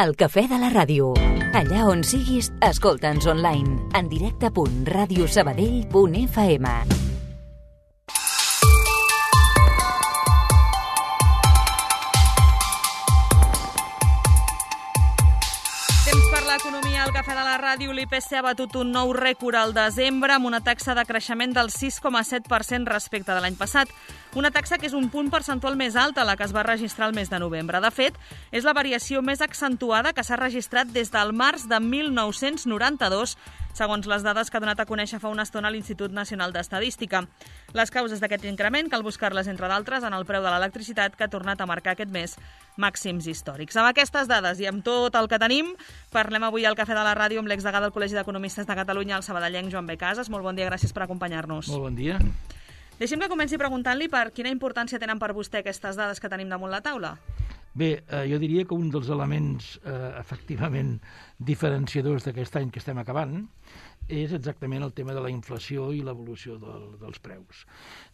El cafè de la ràdio. Allà on siguis, escolta'ns online. En directe.radiosabadell.fm. L'economia al cafè de la ràdio, l'IPC ha batut un nou rècord al desembre amb una taxa de creixement del 6,7% respecte de l'any passat. Una taxa que és un punt percentual més alta a la que es va registrar el mes de novembre. De fet, és la variació més accentuada que s'ha registrat des del març de 1992, segons les dades que ha donat a conèixer fa una estona l'Institut Nacional d'Estadística. Les causes d'aquest increment cal buscar-les, entre d'altres, en el preu de l'electricitat, que ha tornat a marcar aquest mes màxims històrics. Amb aquestes dades i amb tot el que tenim, parlem avui al Cafè de la Ràdio amb l'exdegà del Col·legi d'Economistes de Catalunya, el sabadellenc Joan B. Casas. Molt bon dia, gràcies per acompanyar-nos. Molt bon dia. Deixi'm que comenci preguntant-li per quina importància tenen per vostè aquestes dades que tenim damunt la taula. Bé, jo diria que un dels elements efectivament diferenciadors d'aquest any que estem acabant és exactament el tema de la inflació i l'evolució dels preus.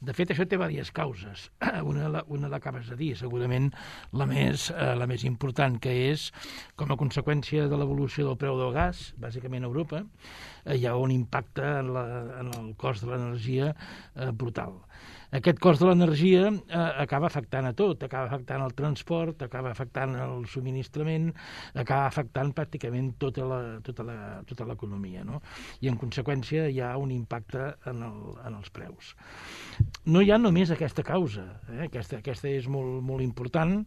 De fet, això té diverses causes. Una l'acabes de dir, segurament la més important, que és com a conseqüència de l'evolució del preu del gas, bàsicament a Europa, hi ha un impacte en el cost de l'energia brutal. Aquest cost de l'energia acaba afectant a tot, acaba afectant el transport, acaba afectant el subministrament, acaba afectant pràcticament tota l'economia, no? I en conseqüència hi ha un impacte en els preus. No hi ha només aquesta causa, aquesta és molt important,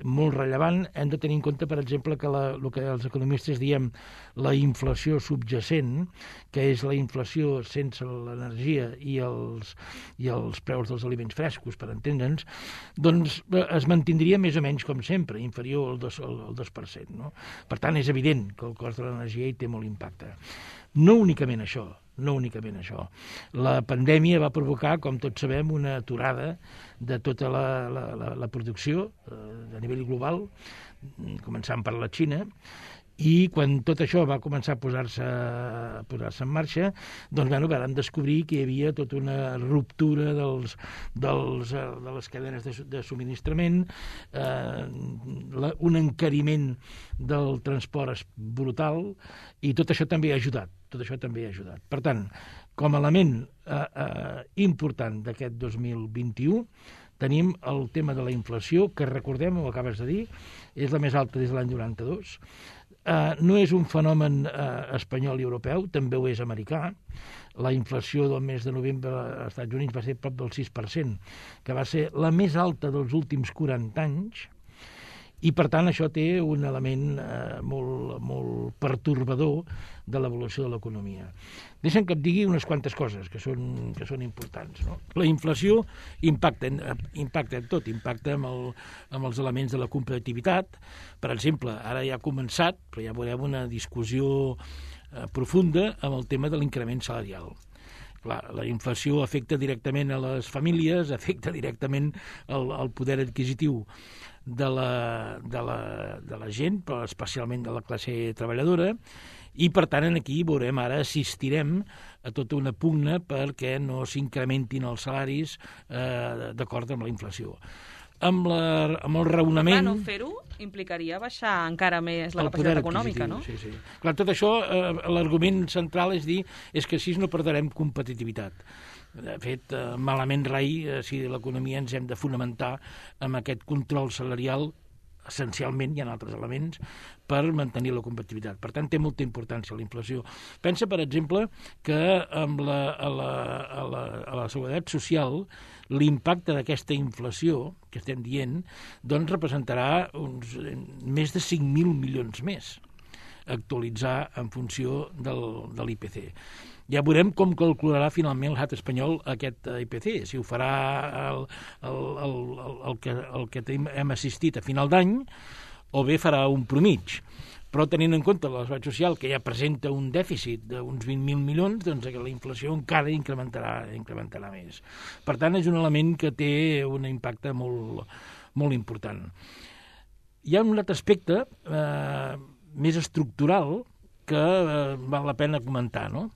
molt rellevant. Hem de tenir en compte, per exemple, que el que els economistes diem la inflació subjacent, que és la inflació sense l'energia i els preus dels aliments frescos, per entendre'ns, doncs es mantindria més o menys com sempre, inferior al 2%. No? Per tant, és evident que el cost de l'energia hi té molt impacte. No únicament això. La pandèmia va provocar, com tots sabem, una aturada de tota la producció a nivell global, començant per la Xina, i quan tot això va començar a posar-se en marxa, doncs vam descobrir que hi havia tota una ruptura de les cadenes de subministrament, un encariment del transport brutal, i tot això també ha ajudat. Per tant, com a element important d'aquest 2021, tenim el tema de la inflació, que recordem, ho acabes de dir, és la més alta des de l'any 92. No és un fenomen espanyol i europeu, també ho és americà. La inflació del mes de novembre als Estats Units va ser prop del 6%, que va ser la més alta dels últims 40 anys, i per tant això té un element molt pertorbador de l'evolució de l'economia. Deixa'm que et digui unes quantes coses que són importants. No? La inflació impacta en tot, impacta amb els elements de la competitivitat. Per exemple, ara ja ha començat, però ja veurem una discussió profunda amb el tema de l'increment salarial. Clar, la inflació afecta directament a les famílies, afecta directament al poder adquisitiu de la gent, però especialment de la classe treballadora, i per tant aquí veurem, ara assistirem a tota una pugna perquè no s'incrementin els salaris d'acord amb la inflació. Amb el raonament... Clar, no fer-ho implicaria baixar encara més la capacitat econòmica, no? Sí. Clar, tot això, l'argument central és dir que així no perdrem competitivitat. De fet, malament rai, si l'economia ens hem de fonamentar amb aquest control salarial, essencialment, hi ha altres elements, per mantenir la competitivitat. Per tant, té molta importància la inflació. Pensa, per exemple, que amb a la seguretat social l'impacte d'aquesta inflació que estem dient doncs representarà més de 5.000 milions més a actualitzar en funció de l'IPC. Ja veurem com calcularà finalment l'estat espanyol aquest IPC, si ho farà el que hem assistit a final d'any, o bé farà un promig. Però tenint en compte la seguretat social, que ja presenta un dèficit d'uns 20.000 milions, doncs la inflació encara incrementarà més. Per tant, és un element que té un impacte molt important. Hi ha un altre aspecte més estructural que val la pena comentar, no?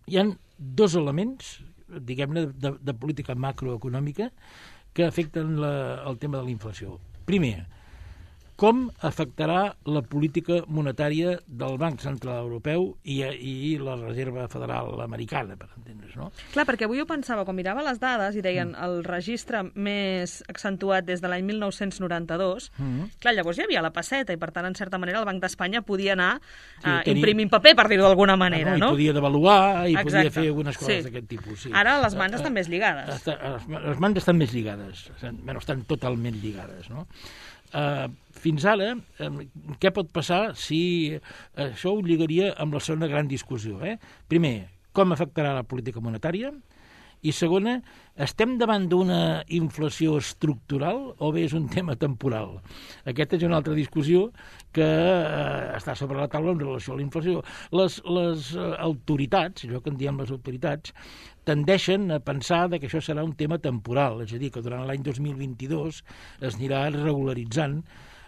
Hi ha dos elements, diguem-ne, de política macroeconòmica que afecten el tema de la inflació. Primer, com afectarà la política monetària del Banc Central Europeu i la Reserva Federal Americana, per entendre's, no? Clar, perquè avui ho pensava, quan mirava les dades i deien el registre més accentuat des de l'any 1992, clar, llavors hi havia la pesseta i, per tant, en certa manera, el Banc d'Espanya podia anar imprimint paper, per dir-ho d'alguna manera, no? I podia devaluar, i podia fer algunes coses d'aquest tipus. Sí. Ara les mans estan més lligades. Les mans estan més lligades, estan totalment lligades, no? Fins ara, què pot passar si això ho lligaria amb la segona gran discussió? Primer, com afectarà la política monetària? I segona, estem davant d'una inflació estructural o bé és un tema temporal? Aquesta és una altra discussió que està sobre la taula en relació a la inflació. Les autoritats, allò que en diem les autoritats, tendeixen a pensar que això serà un tema temporal, és a dir, que durant l'any 2022 es anirà regularitzant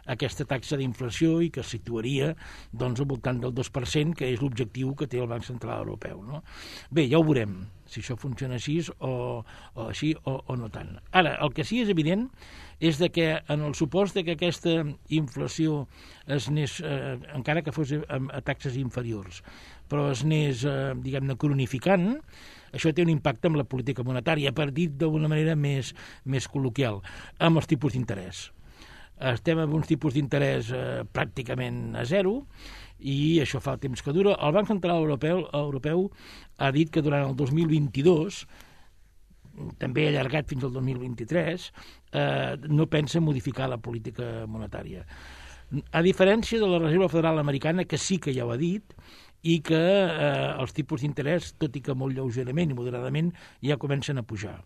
aquesta taxa d'inflació i que es situaria al voltant del 2%, que és l'objectiu que té el Banc Central Europeu, no? Bé, ja ho veurem, si això funciona així o així o no tant. Ara, el que sí és evident és que en el supost que aquesta inflació es anés, encara que fos a taxes inferiors, però es anés, diguem-ne, cronificant, això té un impacte amb la política monetària, per dir d'una manera més col·loquial, amb els tipus d'interès. Estem amb uns tipus d'interès pràcticament a zero i això fa temps que dura. El Banc Central Europeu ha dit que durant el 2022, també allargat fins al 2023, no pensa modificar la política monetària. A diferència de la Reserva Federal Americana, que sí que ja ho ha dit, i que els tipus d'interès, tot i que molt lleugerament i moderadament, ja comencen a pujar,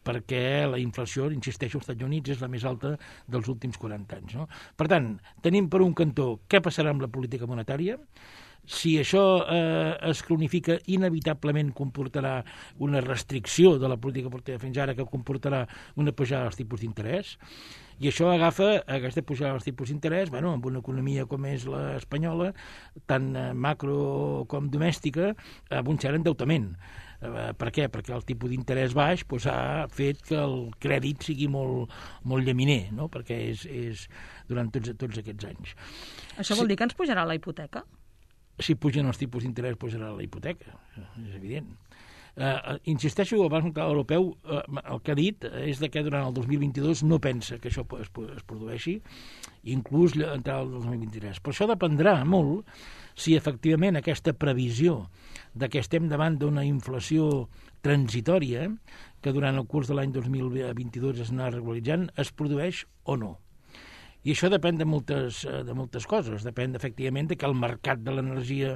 perquè la inflació, insisteixo, als Estats Units és la més alta dels últims 40 anys. No? Per tant, tenim per un cantó què passarà amb la política monetària. Si això es cronifica, inevitablement comportarà una restricció de la política monetària fins ara, que comportarà una pujada dels tipus d'interès, i això agafa aquesta pujada dels tipus d'interès, amb una economia com és l'espanyola, tant macro com domèstica, amb un cert endeutament. Per què? Perquè el tipus d'interès baix ha fet que el crèdit sigui molt llaminer, no? Perquè és durant tots aquests anys. Això vol dir que ens pujarà la hipoteca? Si pugen els tipus d'interès, pujarà la hipoteca, és evident. Insisteixo, el Banc Central Europeu el que ha dit és que durant el 2022 no pensa que això es produeixi, inclús entrar al 2023. Però això dependrà molt si efectivament aquesta previsió de que estem davant d'una inflació transitòria, que durant el curs de l'any 2022 es anà regularitzant, es produeix o no. I això depèn de moltes coses. Depèn, efectivament, que el mercat de l'energia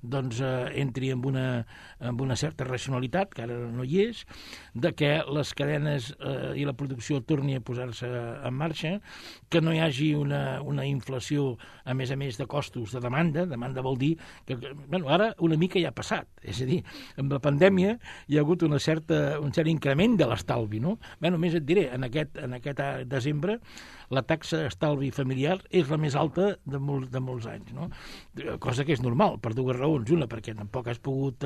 entri amb una certa racionalitat, que ara no hi és, de que les cadenes i la producció torni a posar-se en marxa, que no hi hagi una inflació, a més de costos de demanda. Demanda vol dir que, ara una mica ja ha passat. És a dir, amb la pandèmia hi ha hagut un cert increment de l'estalvi, no? Només et diré, en aquest desembre la taxa estalvi familiar és la més alta de molts anys, no? Cosa que és normal, per dues raons. Una, perquè tampoc has pogut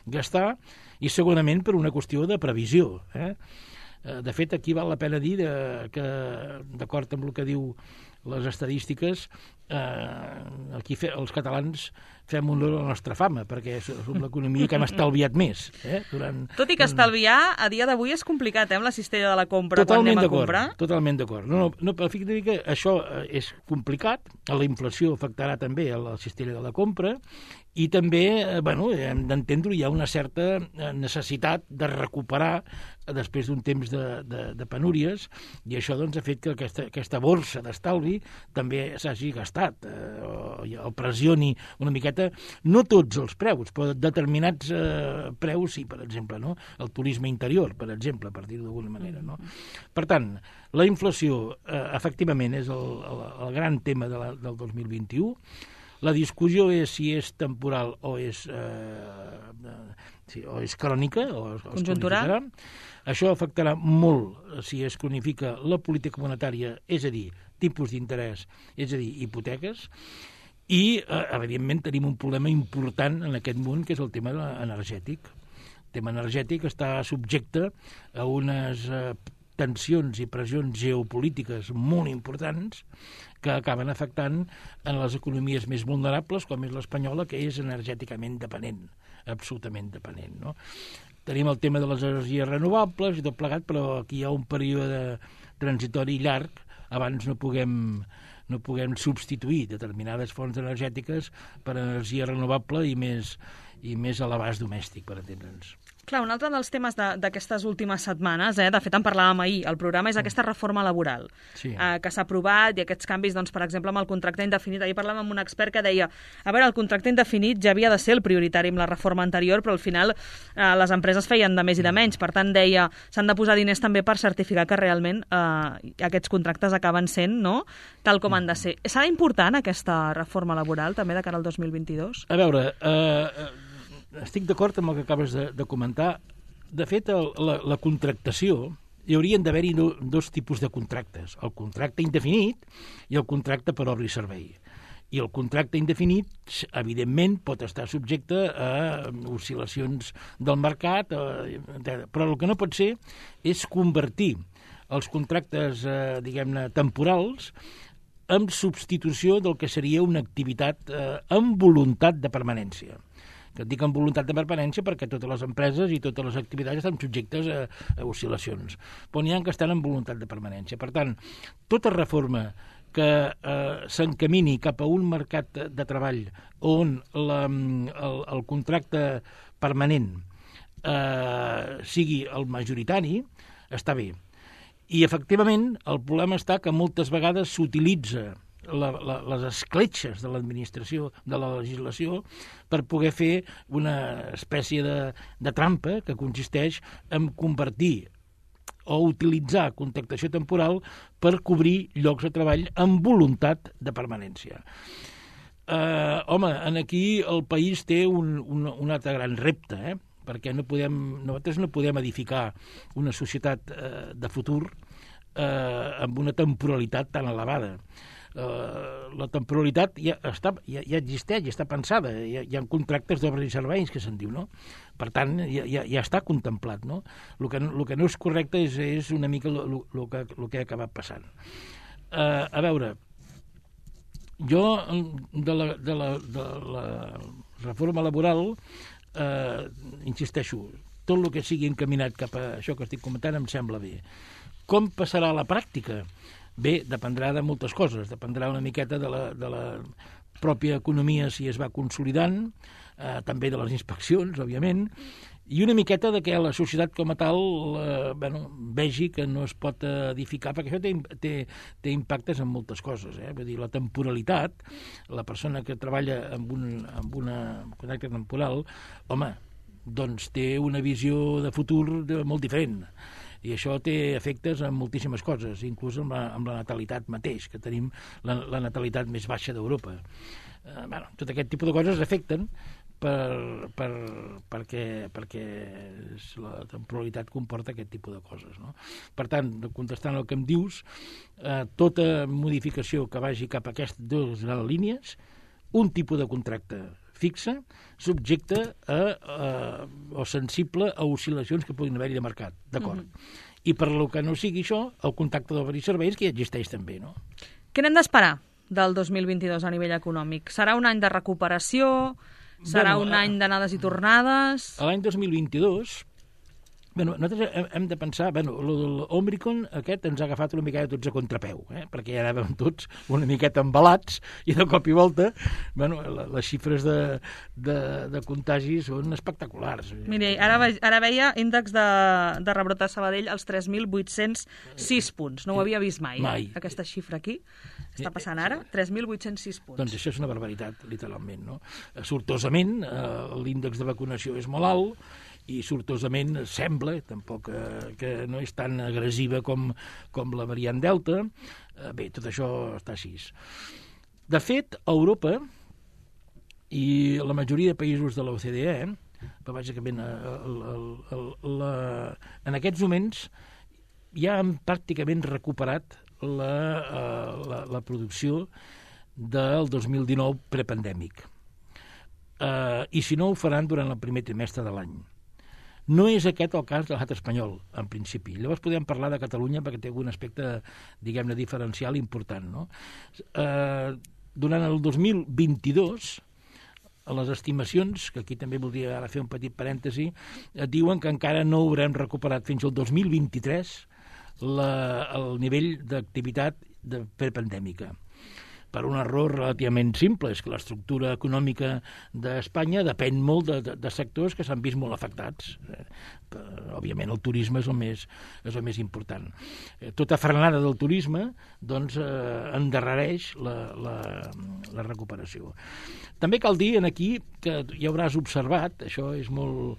gastar, i segurament per una qüestió de previsió. De fet, aquí val la pena dir que, d'acord amb el que diu les estadístiques, aquí els catalans fem honor a la nostra fama, perquè som l'economia que hem estalviat més. Tot i que estalviar a dia d'avui és complicat, amb la cistella de la compra, quan anem a comprar. Totalment d'acord. No, fixa't que això és complicat, la inflació afectarà també a la cistella de la compra, i també, hem d'entendre, hi ha una certa necessitat de recuperar després d'un temps de penúries, i això ha fet que aquesta borsa d'estalvi també s'hagi gastat, o pressioni una miqueta, no tots els preus, però determinats preus sí, per exemple, no? El turisme interior, per exemple, per dir-ho d'alguna manera, no? Per tant, la inflació, efectivament, és el gran tema del 2021. La discussió és si és temporal o és crònica, o conjuntural. Això afectarà molt si es cronifica la política monetària, és a dir, tipus d'interès, és a dir, hipoteques, i, evidentment, tenim un problema important en aquest món, que és el tema energètic. El tema energètic està subjecte a unes tensions i pressions geopolítiques molt importants que acaben afectant en les economies més vulnerables, com és l'espanyola, que és energèticament dependent, absolutament dependent, no? Tenim el tema de les energies renovables i tot plegat, però aquí hi ha un període transitori llarg abans no puguem substituir determinades fonts energètiques per energia renovable i més a l'abast domèstic, per entendre'ns. Clar, un altre dels temes d'aquestes últimes setmanes, de fet en parlàvem ahir, el programa és aquesta reforma laboral que s'ha aprovat i aquests canvis, doncs, per exemple, amb el contracte indefinit. Ahir parlàvem amb un expert que deia, a veure, el contracte indefinit ja havia de ser el prioritari amb la reforma anterior, però al final les empreses feien de més i de menys. Per tant, deia, s'han de posar diners també per certificar que realment aquests contractes acaben sent, no?, tal com han de ser. Serà important aquesta reforma laboral també de cara al 2022? A veure, estic d'acord amb el que acabes de comentar. De fet, la contractació, hi haurien d'haver-hi dos tipus de contractes, el contracte indefinit i el contracte per obra i servei. I el contracte indefinit, evidentment, pot estar subjecte a oscil·lacions del mercat, però el que no pot ser és convertir els contractes, diguem-ne, temporals en substitució del que seria una activitat amb voluntat de permanència. Que et dic amb voluntat de permanència perquè totes les empreses i totes les activitats estan subjectes a oscil·lacions, però n'hi ha que estan amb voluntat de permanència. Per tant, tota reforma que s'encamini cap a un mercat de treball on el contracte permanent sigui el majoritari, està bé. I, efectivament, el problema està que moltes vegades s'utilitza les escletxes de l'administració, de la legislació, per poder fer una espècie de trampa que consisteix en convertir o utilitzar contractació temporal per cobrir llocs de treball amb voluntat de permanència. Home, aquí el país té un altre gran repte, perquè nosaltres no podem edificar una societat de futur amb una temporalitat tan elevada. La temporalitat ja existeix, ja està pensada, hi ha contractes d'obres i serveis que se'n diu, no? Per tant, ja està contemplat, no? El que no és correcte és una mica el que ha acabat passant. A veure, jo de la reforma laboral insisteixo, tot el que sigui encaminat cap a això que estic comentant em sembla bé. Com passarà a la pràctica? Bé, dependrà de moltes coses. Dependrà una miqueta de la pròpia economia si es va consolidant, també de les inspeccions, òbviament, i una miqueta de que la societat com a tal vegi que no es pot edificar, perquè això té impactes en moltes coses. Vull dir, la temporalitat, la persona que treballa amb una contracte temporal, home, doncs té una visió de futur molt diferent. I això té efectes en moltíssimes coses, inclús amb la natalitat mateix, que tenim la natalitat més baixa d'Europa. Tot aquest tipus de coses afecten perquè la temporalitat comporta aquest tipus de coses, no? Per tant, contestant el que em dius, tota modificació que vagi cap a aquestes dues grans línies, un tipus de contracte fixa, subjecte o sensible a oscil·lacions que puguin haver-hi de mercat, d'acord? I per lo que no sigui això, el contracte d'obres i serveis que ja existeix també, no? Què n'hem d'esperar del 2022 a nivell econòmic? Serà un any de recuperació? Serà un any d'anades i tornades? L'any 2022... nosaltres hem de pensar, l'Omicron aquest ens ha agafat una miqueta tots a contrapeu, perquè ja anàvem tots una miqueta embalats i de cop i volta les xifres de contagis són espectaculars. Miri, ara veia índex de rebrot a Sabadell als 3.806 punts. No ho havia vist mai. Aquesta xifra aquí. Està passant ara? 3.806 punts. Doncs això és una barbaritat, literalment, no? Sortosament, l'índex de vacunació és molt alt, i sortosament sembla, tampoc que no és tan agressiva com la variant Delta. Bé, tot això està així. De fet, a Europa i la majoria de països de l'OCDE, però bàsicament en aquests moments ja han pràcticament recuperat la producció del 2019 prepandèmic. I si no, ho faran durant el primer trimestre de l'any. No és aquest el cas de l'estat espanyol, en principi. Llavors podem parlar de Catalunya perquè té algun aspecte, diguem-ne, diferencial important, no? Durant el 2022, a les estimacions, que aquí també voldria ara fer un petit parèntesi, diuen que encara no haurem recuperat fins al 2023 el nivell d'activitat prepandèmica. Per un error relativament simple, és que l'estructura econòmica d'Espanya depèn molt de sectors que s'han vist molt afectats. Òbviament el turisme és el més important. Tota frenada del turisme doncs, endarrereix la recuperació. També cal dir aquí que ja hauràs observat, això és molt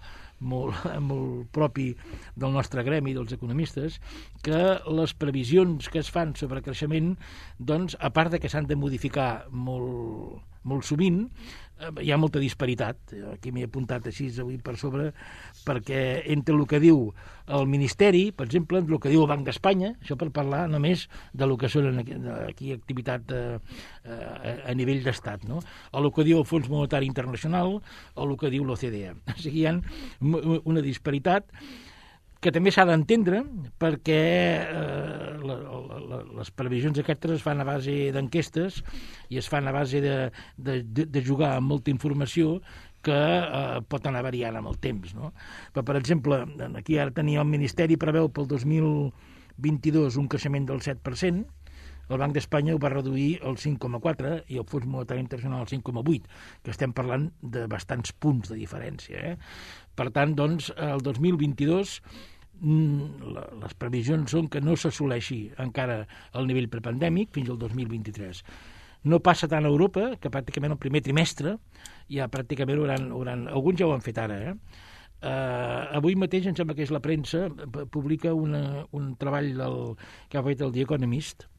propi del nostre gremi, dels economistes, que les previsions que es fan sobre creixement, doncs, a part de que s'han de modificar molt sovint, hi ha molta disparitat. Aquí m'he apuntat així avui per sobre, perquè entre el que diu el Ministeri, per exemple, el que diu el Banc d'Espanya, això per parlar només de lo que són aquí activitat a nivell d'estat, no? O el que diu el Fons Monetari Internacional, o el que diu l'OCDE. O sigui, hi ha una disparitat que també s'ha d'entendre perquè les previsions aquestes es fan a base d'enquestes i es fan a base de jugar amb molta informació que pot anar variant amb el temps, no? Però, per exemple, aquí ara tenia el Ministeri preveu pel 2022 un creixement del 7%, el Banc d'Espanya ho va reduir al 5,4 i el Fons Monetari Internacional al 5,8, que estem parlant de bastants punts de diferència. Per tant, doncs, el 2022 les previsions són que no s'assoleixi encara el nivell prepandèmic fins al 2023. No passa tant a Europa, que pràcticament el primer trimestre ja pràcticament alguns ja ho han fet ara, avui mateix, em sembla que és la premsa, publica un treball que ha fet el The Economist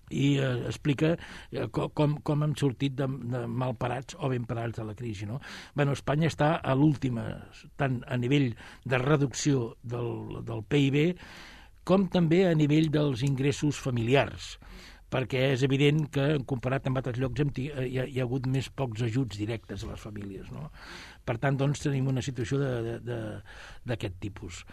i explica com hem sortit de malparats o ben parats de la crisi, no? Espanya està a l'última, tant a nivell de reducció del PIB com també a nivell dels ingressos familiars, perquè és evident que, comparat amb altres llocs, hi ha hagut més pocs ajuts directes a les famílies, no? Per tant, doncs, tenim una situació d'aquest tipus.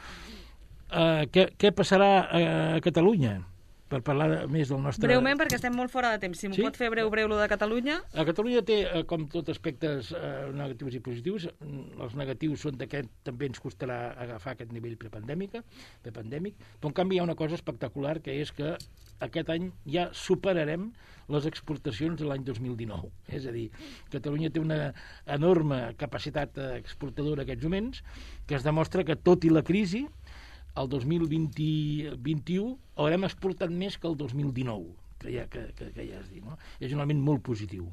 Què passarà a Catalunya? Per parlar més del nostre... Breument, perquè estem molt fora de temps. Si m'ho pot fer breu, lo de Catalunya. A Catalunya té, com tot, aspectes negatius i positius. Els negatius són que també ens costarà agafar aquest nivell prepandèmic, però en canvi hi ha una cosa espectacular, que és que aquest any ja superarem les exportacions de l'any 2019. És a dir, Catalunya té una enorme capacitat exportadora en aquests moments, que es demostra que, tot i la crisi, el 2021 haurem exportat més que el 2019, que ja has dit, no? És un element molt positiu.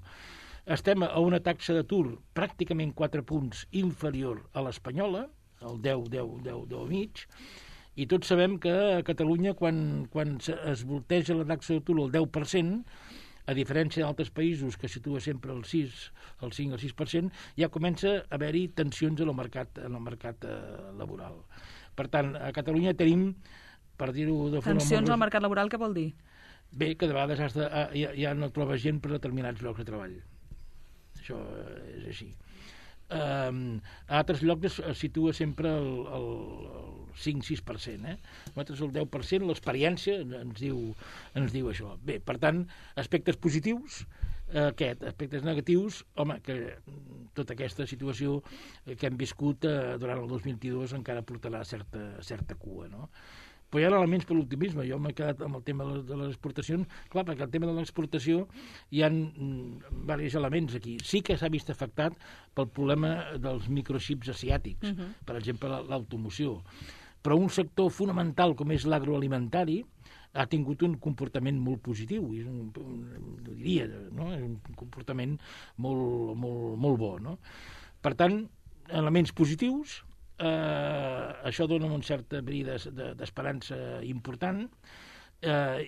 Estem a una taxa d'atur pràcticament 4 punts inferior a l'espanyola, el 10,5, i tots sabem que a Catalunya, quan es volteja la taxa d'atur al 10%, a diferència d'altres països que situa sempre el 6, el 5 o 6%, ja comença a haver-hi tensions en el mercat laboral. Per tant, a Catalunya tenim, per dir-ho de forma... Tensions al mercat laboral, què vol dir? Bé, que de vegades ja no trobes gent per determinats llocs de treball. Això és així. A altres llocs es situa sempre el 5-6%. Nosaltres el 10%, l'experiència ens diu això. Bé, per tant, aspectes positius, aspectes negatius, home, que tota aquesta situació que hem viscut durant el 2022 encara portarà certa cua, no? Però hi ha elements per l'optimisme. Jo m'he quedat amb el tema de les exportacions. Clar, perquè el tema de l'exportació hi ha diversos elements aquí. Sí que s'ha vist afectat pel problema dels microxips asiàtics, per exemple, l'automoció. Però un sector fonamental com és l'agroalimentari ha tingut un comportament molt positiu, ho diria, no? És un comportament molt bo, no? Per tant, elements positius, això dona una certa bri d'esperança important,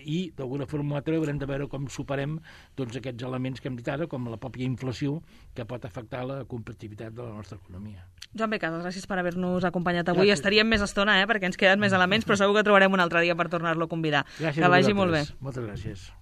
i d'alguna forma o altra haurem de veure com superem tots aquests elements que hem dit ara, com la pròpia inflació, que pot afectar la competitivitat de la nostra economia. Joan B. Casas, gràcies per haver-nos acompanyat avui. Gràcies. Estaríem més estona, perquè ens queden més elements, però segur que trobarem un altre dia per tornar-lo a convidar. Gràcies, que vagi molt bé. Moltes gràcies.